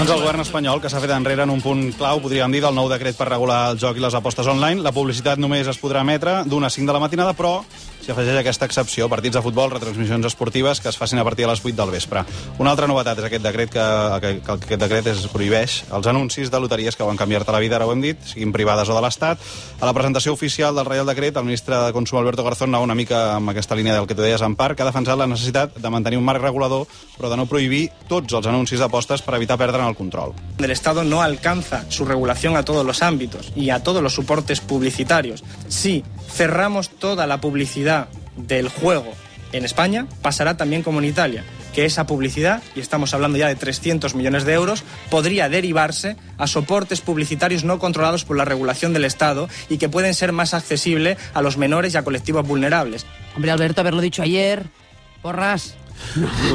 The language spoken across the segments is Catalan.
Doncs el govern espanyol, que s'ha fet enrere en un punt clau, podríem dir, del nou decret per regular el joc i les apostes online. La publicitat només es podrà emetre d'una a 5 de la matinada, però s'hi afegeix aquesta excepció: partits de futbol, retransmissions esportives que es facin a partir de les 8 del vespre. Una altra novetat és aquest decret que aquest decret prohibeix els anuncis de loteries que van canviar-te la vida, ara ho hem dit, siguin privades o de l'Estat. A la presentació oficial del Reial Decret, el ministre de Consum, Alberto Garzón, anava una mica amb aquesta línia del que tu deies, Empar, que ha defensat la necessitat de mantenir un marc regulador, però de no prohibir tots els anuncis d'apostes per evitar perdre'n el control. El Estado no alcanza su regulación a todos los ámbitos y a todos los soportes publicitarios. Si cerramos toda la publicidad del juego en España, pasará también como en Italia, que esa publicidad, y estamos hablando ya de 300 millones de euros, podría derivarse a soportes publicitarios no controlados por la regulación del Estado y que pueden ser más accesibles a los menores y a colectivos vulnerables. Hombre, Alberto, haberlo dicho ayer, porras.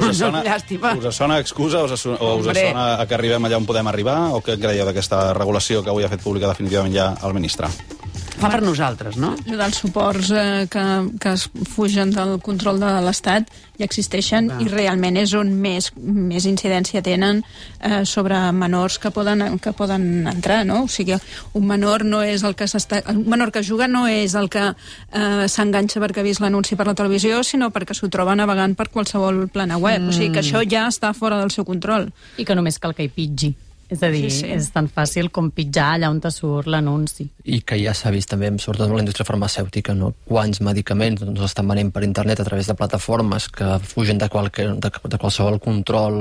Us sona excusa o us sona que arribem allà on podem arribar, o què creieu d'aquesta regulació que avui ha fet pública definitivament ja el ministre? Fa per nosaltres, no? Dels suports que es fugen del control de l'Estat ja existeixen i realment és on més incidència tenen sobre menors que poden entrar, no? O sigui, un menor no és el que un menor que juga no és el que s'enganxa perquè ha vist l'anunci per la televisió, sinó perquè s'ho troba navegant per qualsevol plana web. O sigui que això ja està fora del seu control. I que només cal que hi pitgi. És a dir, sí. És tan fàcil com pitjar allà on te surt l'anunci. I que ja s'ha vist també, sobretot en la indústria farmacèutica, no? Quants medicaments estan venent per internet a través de plataformes que fugen de qualsevol control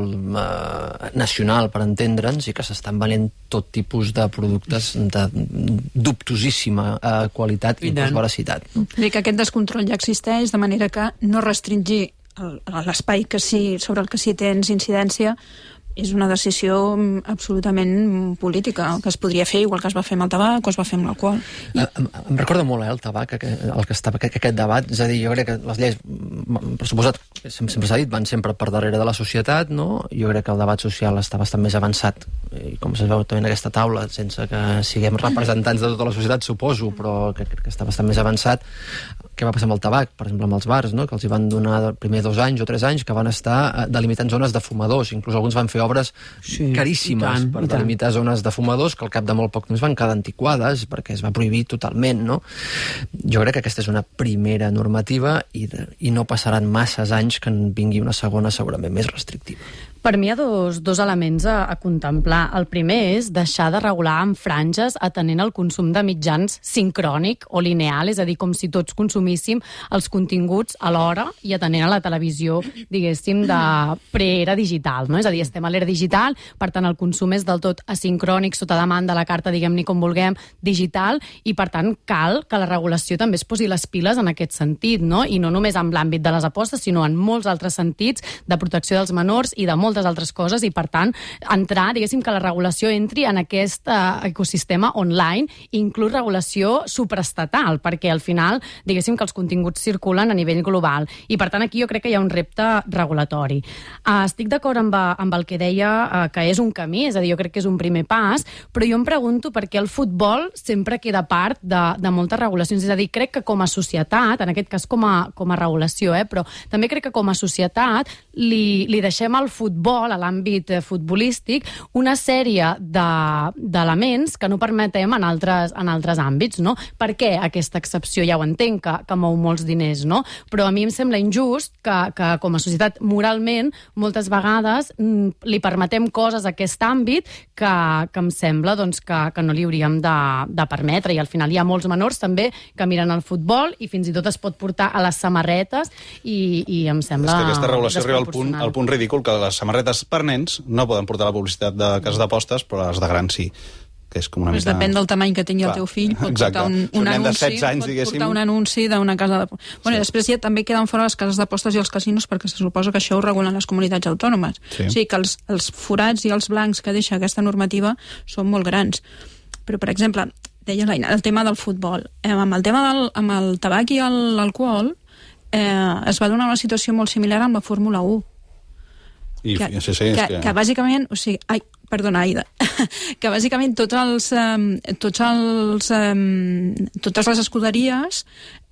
nacional, per entendre'ns, i que s'estan venent tot tipus de productes de dubtosíssima qualitat i veracitat. Dir que aquest descontrol ja existeix, de manera que no restringir l'espai sobre el que sí tens incidència és una decisió absolutament política, que es podria fer igual que es va fer amb el tabac o es va fer amb l'alcohol. Em recorda molt el tabac, aquest debat. És a dir, jo crec que les lleis, per suposat, sempre s'ha dit, van sempre per darrere de la societat, no? Jo crec que el debat social està bastant més avançat, i com es veu també en aquesta taula, sense que siguem representants de tota la societat, suposo, però crec que està bastant més avançat. Què va passar amb el tabac, per exemple, amb els bars, no? Que els hi van donar primer 2 anys o 3 anys que van estar delimitant zones de fumadors. Inclús alguns van fer obres caríssimes per delimitar zones de fumadors que al cap de molt poc temps van quedar antiquades perquè es va prohibir totalment, no? Jo crec que aquesta és una primera normativa i no passaran masses anys que en vingui una segona segurament més restrictiva. Per mi hi ha dos elements a contemplar. El primer és deixar de regular amb franges atenent al consum de mitjans sincrònic o lineal, és a dir, com si tots consumíssim els continguts alhora i atenent a la televisió, diguéssim, de pre-era digital, no? És a dir, estem a l'era digital, per tant, el consum és del tot asincrònic, sota demanda, la carta, diguem-ne com vulguem, digital, i per tant cal que la regulació també es posi les piles en aquest sentit, no? I no només en l'àmbit de les apostes, sinó en molts altres sentits de protecció dels menors i de moltes altres coses, i per tant entrar, diguéssim, que la regulació entri en aquest ecosistema online, inclús regulació supraestatal, perquè al final, diguéssim, que els continguts circulen a nivell global, i per tant aquí jo crec que hi ha un repte regulatori. Estic d'acord amb el que deia, que és un camí, és a dir, jo crec que és un primer pas, però jo em pregunto per què el futbol sempre queda part de moltes regulacions, és a dir, crec que com a societat, en aquest cas com a regulació, però també crec que com a societat li deixem al futbol, a l'àmbit futbolístic, una sèrie d'elements que no permetem en altres àmbits, no? Per què aquesta excepció? Ja ho entenc, que mou molts diners, no? Però a mi em sembla injust que com a societat, moralment, moltes vegades li permetem coses a aquest àmbit que em sembla que no li hauríem de permetre, i al final hi ha molts menors també que miren el futbol i fins i tot es pot portar a les samarretes i em sembla... És que aquesta regulació arriba al punt ridícul que les samarretes per nens no poden portar la publicitat de cases d'apostes, però les de grans sí. Que és com una mica... Depèn del tamany que tingui el teu fill, pot portar un anunci d'una casa d'apostes. Bueno, i després ja també queden fora les cases d'apostes i els casinos, perquè se suposa que això ho regulen les comunitats autònomes. Sí. O sigui que els forats i els blancs que deixa aquesta normativa són molt grans. Però, per exemple, deia l'Aina, el tema del futbol. Amb el tabac i l'alcohol es va donar una situació molt similar amb la Fórmula 1. Que bàsicament, o sigui, perdona, Aida, que bàsicament totes les escuderies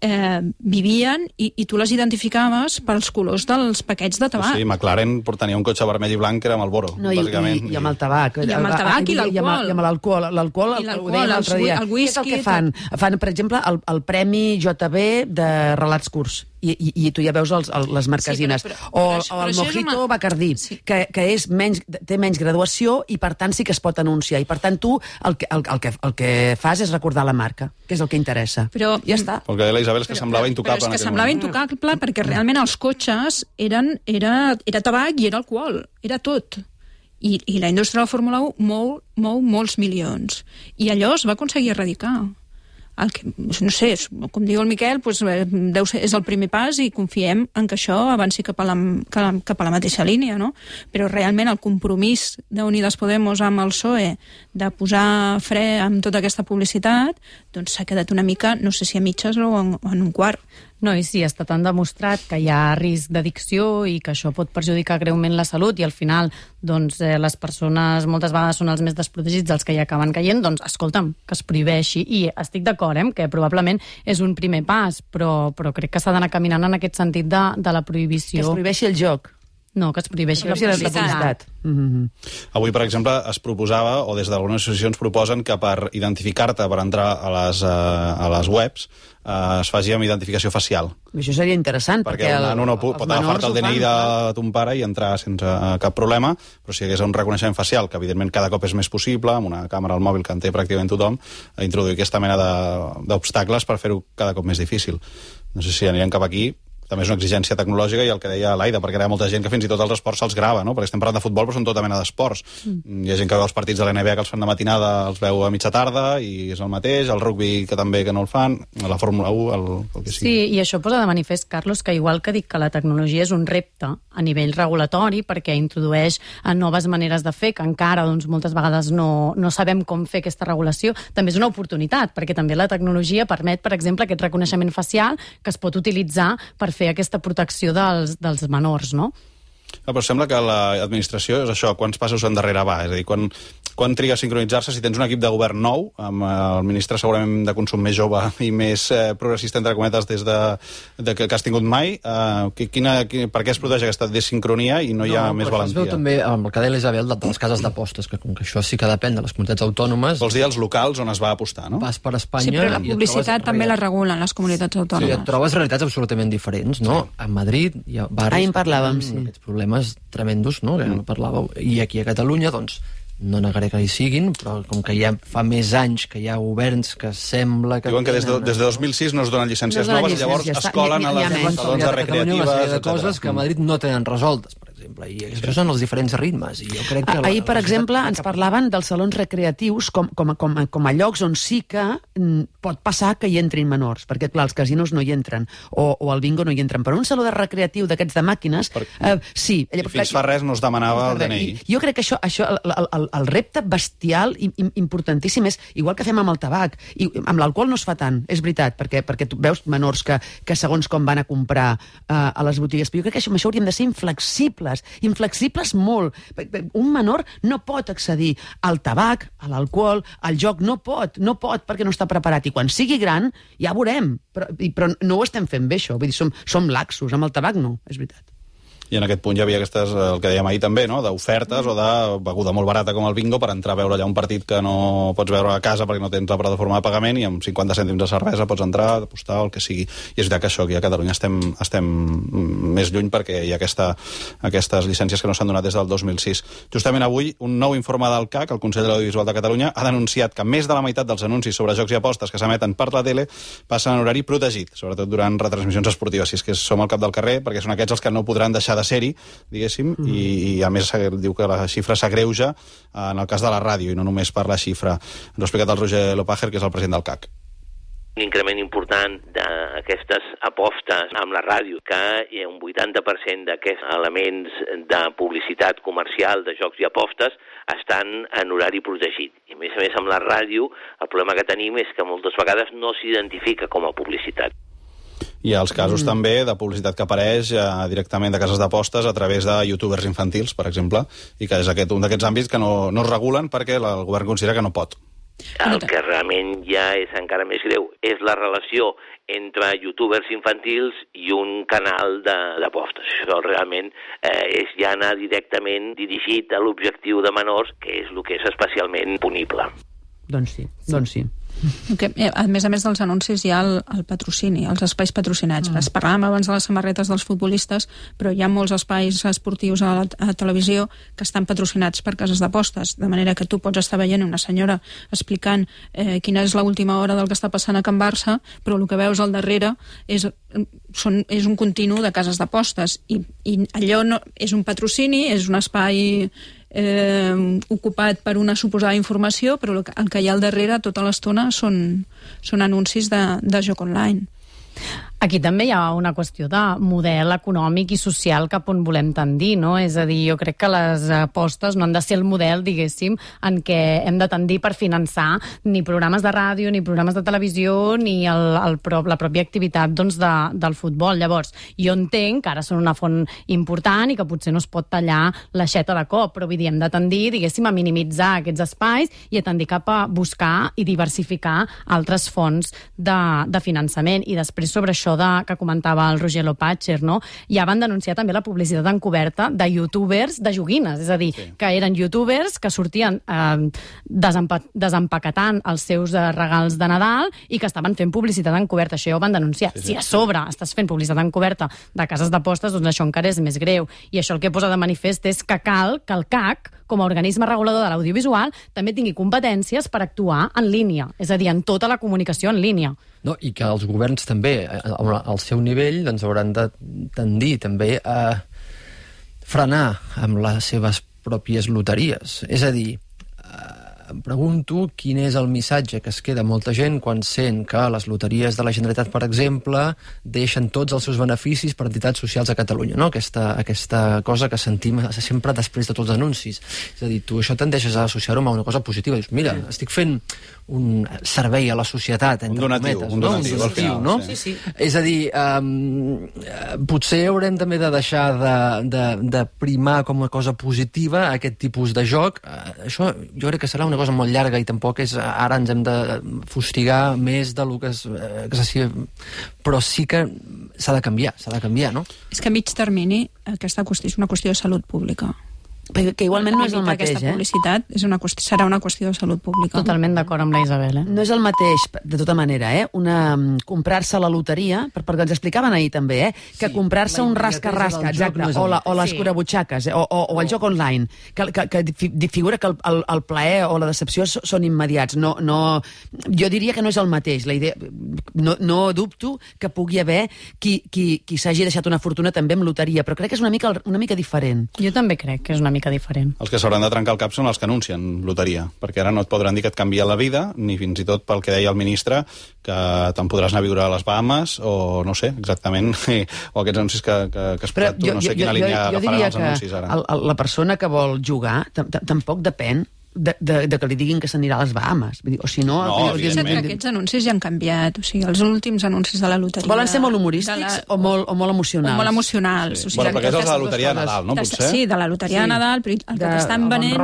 vivien i tu les identificaves pels colors dels paquets de tabac. Sí, McLaren tenia un cotxe vermell i blanc que era Marlboro, bàsicament. I amb el tabac. I amb el tabac i l'alcohol. I amb l'alcohol. L'alcohol, ho deia l'altre dia. El whisky. Què és el que fan? Fan, per exemple, el Premi JB de relats curts. I tu ja veus les marquesines. O el Mojito Bacardí, que té menys graduació i, per tant, sí que es pot anunciar. I, per tant, tu el que fas és recordar la marca, que és el que interessa. Però ja està. El que deia la Isabel és que semblava intocable. Però és que semblava intocable perquè realment els cotxes era tabac i era alcohol. Era tot. I la indústria de la Fórmula 1 mou molts milions. I allò es va aconseguir erradicar. No sé, com diu el Miquel, és el primer pas i confiem en que això avanci cap a la mateixa línia, no? Però realment el compromís d'Unidas Podemos amb el PSOE de posar fre amb tota aquesta publicitat doncs s'ha quedat una mica, no sé si a mitges o en un quart. No, i sí, està tan demostrat que hi ha risc d'addicció i que això pot perjudicar greument la salut i al final doncs, les persones moltes vegades són els més desprotegits els que hi acaben caient, doncs escolta'm, que es prohibeixi. I estic d'acord, que probablement és un primer pas, però crec que s'ha d'anar caminant en aquest sentit de la prohibició. Que es prohibeixi el joc. No, que es prohibeixi la publicitat. Avui, per exemple, es proposava, o des d'algunes associacions proposen que per identificar-te per entrar a les webs es faci amb identificació facial. Això seria interessant, perquè el nano no pot agafar-te el DNI de ton pare i entrar sense cap problema, però si hi hagués un reconeixement facial, que evidentment cada cop és més possible, amb una càmera al mòbil que en té pràcticament tothom, introduir aquesta mena d'obstacles per fer-ho cada cop més difícil. No sé si anirem cap aquí. També és una exigència tecnològica i el que deia l'Aida, perquè hi ha molta gent que fins i tot els esports se'ls grava, no? Perquè estem parlant de futbol, però són tota mena d'esports. Hi ha gent que veu els partits de l'NBA que els fan de matinada, els veu a mitja tarda, i és el mateix, el rugby que també que no el fan, la Fórmula 1, el que sigui. Sí, i això posa de manifest, Carlos, que igual que dic que la tecnologia és un repte a nivell regulatori, perquè introdueix noves maneres de fer, que encara doncs, moltes vegades no sabem com fer aquesta regulació, també és una oportunitat, perquè també la tecnologia permet, per exemple, aquest reconeixement facial que es pot utilitzar per fer aquesta protecció dels menors, no? Però sembla que l'administració és això, quants passos endarrere va, és a dir, quan triga a sincronitzar-se, si tens un equip de govern nou, amb el ministre segurament de consum més jove i més progressista, entre cometes, des que has tingut mai, per què es produeix aquesta desincronia i no hi ha més valentia? Es veu també, amb el que deia l'Isabel, de les cases d'apostes, que com que això sí que depèn de les comunitats autònomes... Vols dir els locals on es va apostar, no? Vas per Espanya... Sí, però la publicitat també la regulen les comunitats autònomes. Sí, et trobes realitats absolutament diferents, no? A Madrid hi ha barris... en parlàvem, sí. Aquests problemes tremendos, no?, que parlàveu. I aquí a Catalunya, doncs, no negaré que hi siguin, però com que ja fa més anys que hi ha governs que sembla que... Diuen que des de 2006 no es donen llicències noves, llavors es colen a les salons de recreatives, una sèrie de coses que a Madrid no tenen resoltes, per exemple, i això són els diferents ritmes. I jo crec que ahir, per exemple, ens parlaven dels salons recreatius com a llocs on sí que pot passar que hi entrin menors, perquè, clar, els casinos no hi entren, o el bingo no hi entren, però un saló de recreatiu d'aquests de màquines, sí. I fins fa res no es demanava el DNI. Jo crec que això el repte bestial i importantíssim és, igual que fem amb el tabac, i amb l'alcohol no es fa tant, és veritat, perquè tu veus menors que segons com van a comprar a les botigues, però jo crec que amb això hauríem de ser inflexibles molt. Un menor no pot accedir al tabac, a l'alcohol, al joc, no pot perquè no està preparat, i quan sigui gran ja veurem, però no ho estem fent bé això, vull dir, som laxos, amb el tabac no, és veritat. I en aquest punt hi havia aquestes, el que dèiem ahir també, no?, d'ofertes o de beguda molt barata com el bingo per entrar a veure allà un partit que no pots veure a casa perquè no tens la plataforma de pagament i amb 50 cèntims de cervesa pots entrar, apostar o el que sigui. I és veritat que això aquí a Catalunya estem més lluny perquè hi ha aquestes llicències que no s'han donat des del 2006. Justament avui, un nou informe del CAC, el Consell de l'Audiovisual de Catalunya, ha denunciat que més de la meitat dels anuncis sobre jocs i apostes que s'emeten per la tele passen en horari protegit, sobretot durant retransmissions esportives. Si és que som al cap del carrer, perquè són aquests els que no podran deixar de ser-hi, diguéssim, i a més diu que la xifra s'agreuja en el cas de la ràdio i no només per la xifra. Ens ho ha explicat el Roger Lopager, que és el president del CAC. Un increment important d'aquestes apostes amb la ràdio, que hi ha un 80% d'aquests elements de publicitat comercial de jocs i apostes estan en horari protegit. I a més amb la ràdio el problema que tenim és que moltes vegades no s'identifica com a publicitat. Hi ha els casos també de publicitat que apareix directament de cases d'apostes a través de youtubers infantils, per exemple, i que és un d'aquests àmbits que no es regulen perquè el govern considera que no pot. El que realment ja és encara més greu és la relació entre youtubers infantils i un canal d'apostes. Això realment és ja anar directament dirigit a l'objectiu de menors, que és el que és especialment punible. Doncs sí. Que, a més dels anuncis hi ha el patrocini, els espais patrocinats. Es parlàvem abans de les samarretes dels futbolistes, però hi ha molts espais esportius a la televisió que estan patrocinats per cases d'apostes, de manera que tu pots estar veient una senyora explicant quina és l'última hora del que està passant a Can Barça, però el que veus al darrere és un continu de cases d'apostes, i allò no, és un patrocini, és un espai ocupat per una suposada informació, però el que hi ha al darrere tota l'estona són anuncis de joc online. Aquí també hi ha una qüestió de model econòmic i social cap on volem tendir, no? És a dir, jo crec que les apostes no han de ser el model, diguéssim, en què hem de tendir per finançar ni programes de ràdio, ni programes de televisió, ni la pròpia activitat del futbol. Llavors, jo entenc que ara són una font important i que potser no es pot tallar l'aixeta de cop, però vull dir, hem de tendir, diguéssim, a minimitzar aquests espais i a tendir cap a buscar i diversificar altres fonts de finançament. I després, sobre això que comentava el Roger Lopatger, no? Ja van denunciar també la publicitat encoberta de youtubers de joguines, és a dir, que eren youtubers que sortien desempaquetant els seus regals de Nadal i que estaven fent publicitat encoberta. Això ja ho van denunciar. Si a sobre estàs fent publicitat encoberta de cases d'apostes, doncs això encara és més greu. I això el que posa de manifest és que cal que el CAC, com a organisme regulador de l'audiovisual, també tingui competències per actuar en línia, és a dir, en tota la comunicació en línia. No, i que els governs també, al seu nivell, doncs hauran de tendir també a frenar amb les seves pròpies loteries. És a dir, em pregunto quin és el missatge que es queda molta gent quan sent que les loteries de la Generalitat, per exemple, deixen tots els seus beneficis per entitats socials a Catalunya, no? Aquesta cosa que sentim sempre després de tots els anuncis. És a dir, tu això tendeixes a associar-ho a una cosa positiva. Dius, mira, estic fent un servei a la societat, entre cometes. Un donatiu, no? Sí. És a dir, potser haurem també de deixar de primar com una cosa positiva aquest tipus de joc. Això jo crec que serà una cosa molt llarga i tampoc és ara ens hem de fustigar més del que però sí que s'ha de canviar, no? És que a mig termini aquesta qüestió és una qüestió de salut pública. Que igualment no és el mateix, aquesta publicitat serà una qüestió de salut pública. Totalment d'acord amb la Isabel, No és el mateix, de tota manera, comprar-se la loteria, perquè ens explicaven ahir també, que comprar-se un rasca-rasca, exacte, o les curabutxaques, o el joc online, que figura que el plaer o la decepció són immediats. Jo diria que no és el mateix. La idea, no dubto que pugui haver qui s'hagi deixat una fortuna també amb loteria, però crec que és una mica diferent. Jo també crec que és una mica diferent. Els que s'hauran de trencar el cap són els que anuncien loteria, perquè ara no et podran dir que et canvia la vida, ni fins i tot pel que deia el ministre, que te'n podràs anar a viure a les Bahamas, o no sé, exactament, o aquests anuncis que es pot, no sé quina línia agafaran els anuncis ara. La persona que vol jugar tampoc depèn de que li diguin que s'anirà a les Bahamas. O si no... Aquests anuncis ja han canviat. O sigui, els últims anuncis de la loteria... Volen ser molt humorístics o molt emocionals? O molt emocionals. Sí. Perquè és de la loteria de Nadal, no? Potser? Sí, de la loteria de Nadal, però el que t'estan venent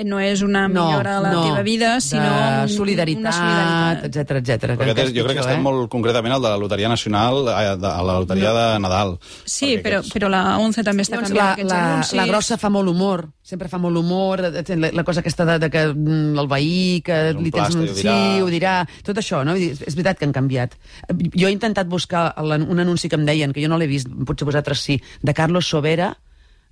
no és una millora de la teva vida, sinó solidaritat, etcètera. Perquè jo crec que estem molt concretament al de la loteria nacional, a la loteria de Nadal. Sí, però la 11 també està canviant aquests anuncis. La grossa fa molt humor, sempre fa molt humor, la cosa aquesta de que el veí, que li tens ho dirà, tot això, no? És veritat que han canviat. Jo he intentat buscar un anunci que em deien, que jo no l'he vist, potser vosaltres sí, de Carlos Sobera,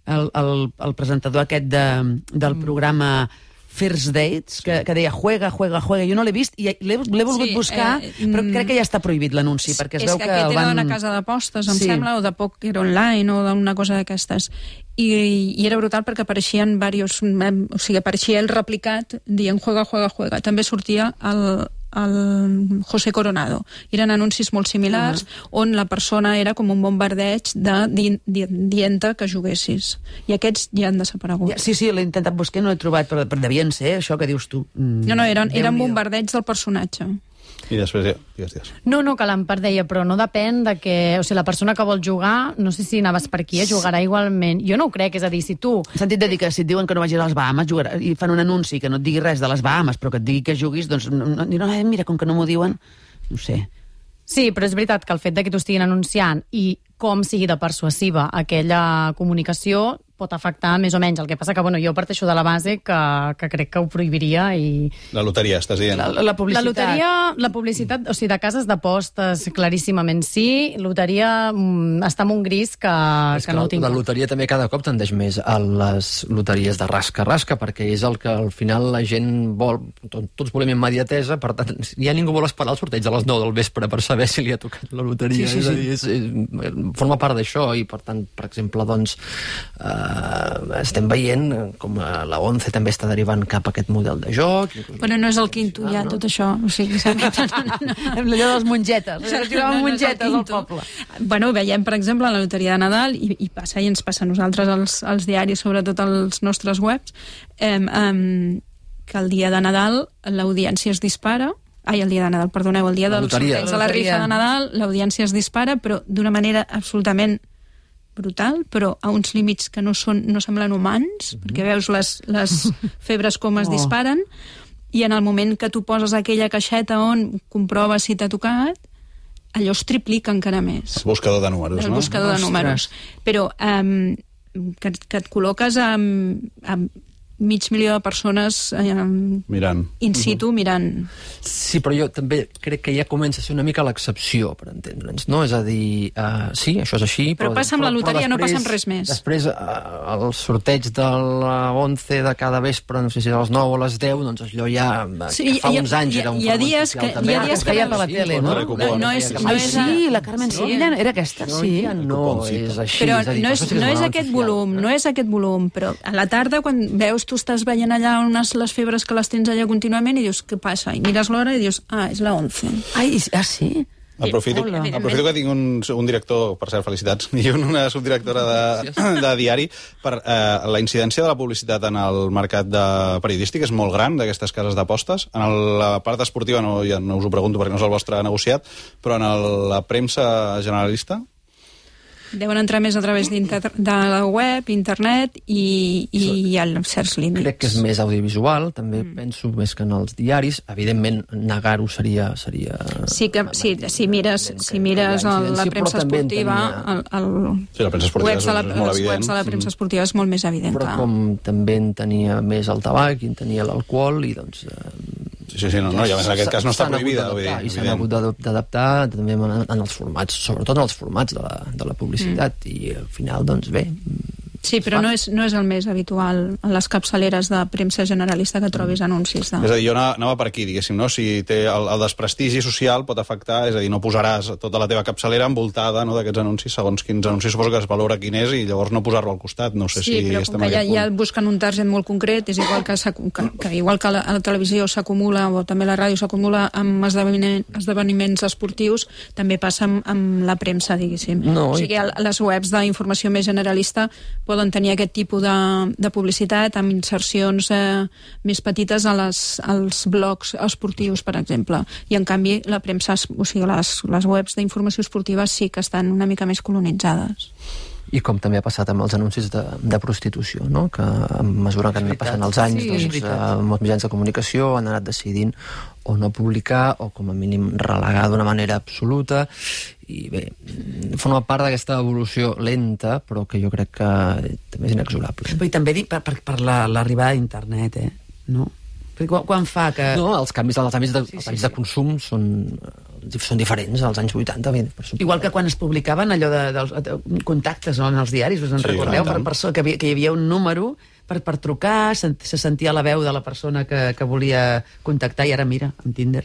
el presentador aquest del programa First Dates, que deia juega, jo no l'he vist i l'he volgut buscar, però crec que ja està prohibit l'anunci, perquè es veu que aquest era d'una casa d'apostes, em sembla, o de Poker Online, o d'una cosa d'aquestes, i era brutal perquè apareixien apareixia el replicat dient juega. També sortia el José Coronado. Eren anuncis molt similars, on la persona era com un bombardeig dient-te que juguessis. I aquests ja han desaparegut. Sí, l'he intentat buscar i no l'he trobat, però devien ser això que dius tu. No, eren bombardeigs del personatge. I després, digues. No, que l'Empar deia, però no depèn de que... O sigui, la persona que vol jugar, no sé si anaves per aquí, jugarà igualment. Jo no ho crec, és a dir, si tu... En sentit de dir que si et diuen que no vagis a les Bahamas, jugarà, i fan un anunci que no et digui res de les Bahamas, però que et digui que juguis, doncs, mira, com que no m'ho diuen, no sé... Sí, però és veritat que el fet de que t'ho estiguin anunciant i com sigui de persuasiva aquella comunicació pot afectar més o menys. El que passa que, jo parteixo de la base que crec que ho prohibiria i... La loteria, estàs dient? La publicitat. La loteria, la publicitat, o sigui, de cases d'apostes, claríssimament sí. Loteria està en un gris que no ho tinc. La loteria també cada cop tendeix més a les loteries de rasca-rasca, perquè és el que al final la gent vol. Tots volem immediatesa, per tant, ja ningú vol esperar el sorteig a les 9 del vespre per saber si li ha tocat la loteria. Sí. És a dir, forma part d'això i, per tant, per exemple, doncs... estem veient com la 11 també està derivant cap a aquest model de joc. Però no és el quinto ja, tot això. O sigui, allò de les mongetes. Tiraven mongetes al poble. Bueno, veiem, per exemple, la loteria de Nadal, i passa, i ens passa a nosaltres als diaris, sobretot als nostres webs, que el dia de Nadal l'audiència es dispara. El dia de Nadal, perdoneu, el dia del sorteig de la rifa de Nadal, l'audiència es dispara, però d'una manera absolutament brutal, però a uns límits que no semblen humans, perquè veus les febres com es disparen, i en el moment que tu poses aquella caixeta on comproves si t'ha tocat, allò es triplica encara més. El buscador de números, El buscador de números. Però que et col·loques amb mig milió de persones mirant. In situ, mirant. Sí, però jo també crec que ja comença a ser una mica l'excepció, per entendre'ns, no? És a dir, sí, això és així, però passa amb la loteria, no passa amb res més. Després, el sorteig de la 11 de cada vespre, no sé si a les 9 o a les 10, doncs allò ja, que fa uns anys era un fenomen social també. Hi ha dies que feia per la tele, no? Sí, la Carmen Sevilla era aquesta, sí. No és així. Però no és aquest volum, però a la tarda, quan veus tu estàs veient allà les febres que les tens allà contínuament i dius, què passa? I mires l'hora i dius, és la 11. Sí? Aprofito que tinc un director, per cert, felicitats, i una subdirectora de diari, per la incidència de la publicitat en el mercat periodístic és molt gran, d'aquestes cases d'apostes. En la part esportiva ja no us ho pregunto perquè no és el vostre negociat, però en la premsa generalista... Deuen entrar més a través de la web, internet i hi ha certs límits. Crec que és més audiovisual, també penso més que en els diaris. Evidentment, negar-ho seria... Sí, si mires la premsa esportiva, els webs de la premsa esportiva és molt més evident. Però com també en tenia més el tabac i en tenia l'alcohol, i doncs... Sí, no, i a més en aquest cas no està prohibida. I s'han hagut d'adaptar també en els formats, sobretot en els formats de la publicitat, i al final, doncs bé... Sí, però no és el més habitual en les capçaleres de premsa generalista que trobis anuncis. És a dir, jo anava per aquí, diguéssim, no? Si té el desprestigi social pot afectar, és a dir, no posaràs tota la teva capçalera envoltada d'aquests anuncis, segons quins anuncis suposo que es valora quin és, i llavors no posar-lo al costat. No sé si estem en aquest punt. Ja busquen un target molt concret, és igual que a la televisió s'acumula, o també la ràdio s'acumula amb esdeveniments esportius, també passa amb la premsa, diguéssim. O sigui, les webs d'informació més generalista poden tenir aquest tipus de publicitat amb insercions més petites als blogs esportius, per exemple. I, en canvi, la premsa, o sigui, les webs d'informació esportiva sí que estan una mica més colonitzades. I com també ha passat amb els anuncis de prostitució, no? Que a mesura que han anat passant els anys, molts mitjans de comunicació han anat decidint o no publicar o com a mínim relegar d'una manera absoluta, i bé, forma part d'aquesta evolució lenta, però que jo crec que també és inexorable. I també dic per l'arribada d'internet, no? Perquè quan fa que... No, els canvis de consum són diferents als anys 80. Igual que quan es publicaven allò de contactes en els diaris, us en recordeu? Que hi havia un número per trucar, se sentia la veu de la persona que volia contactar, i ara mira, amb Tinder.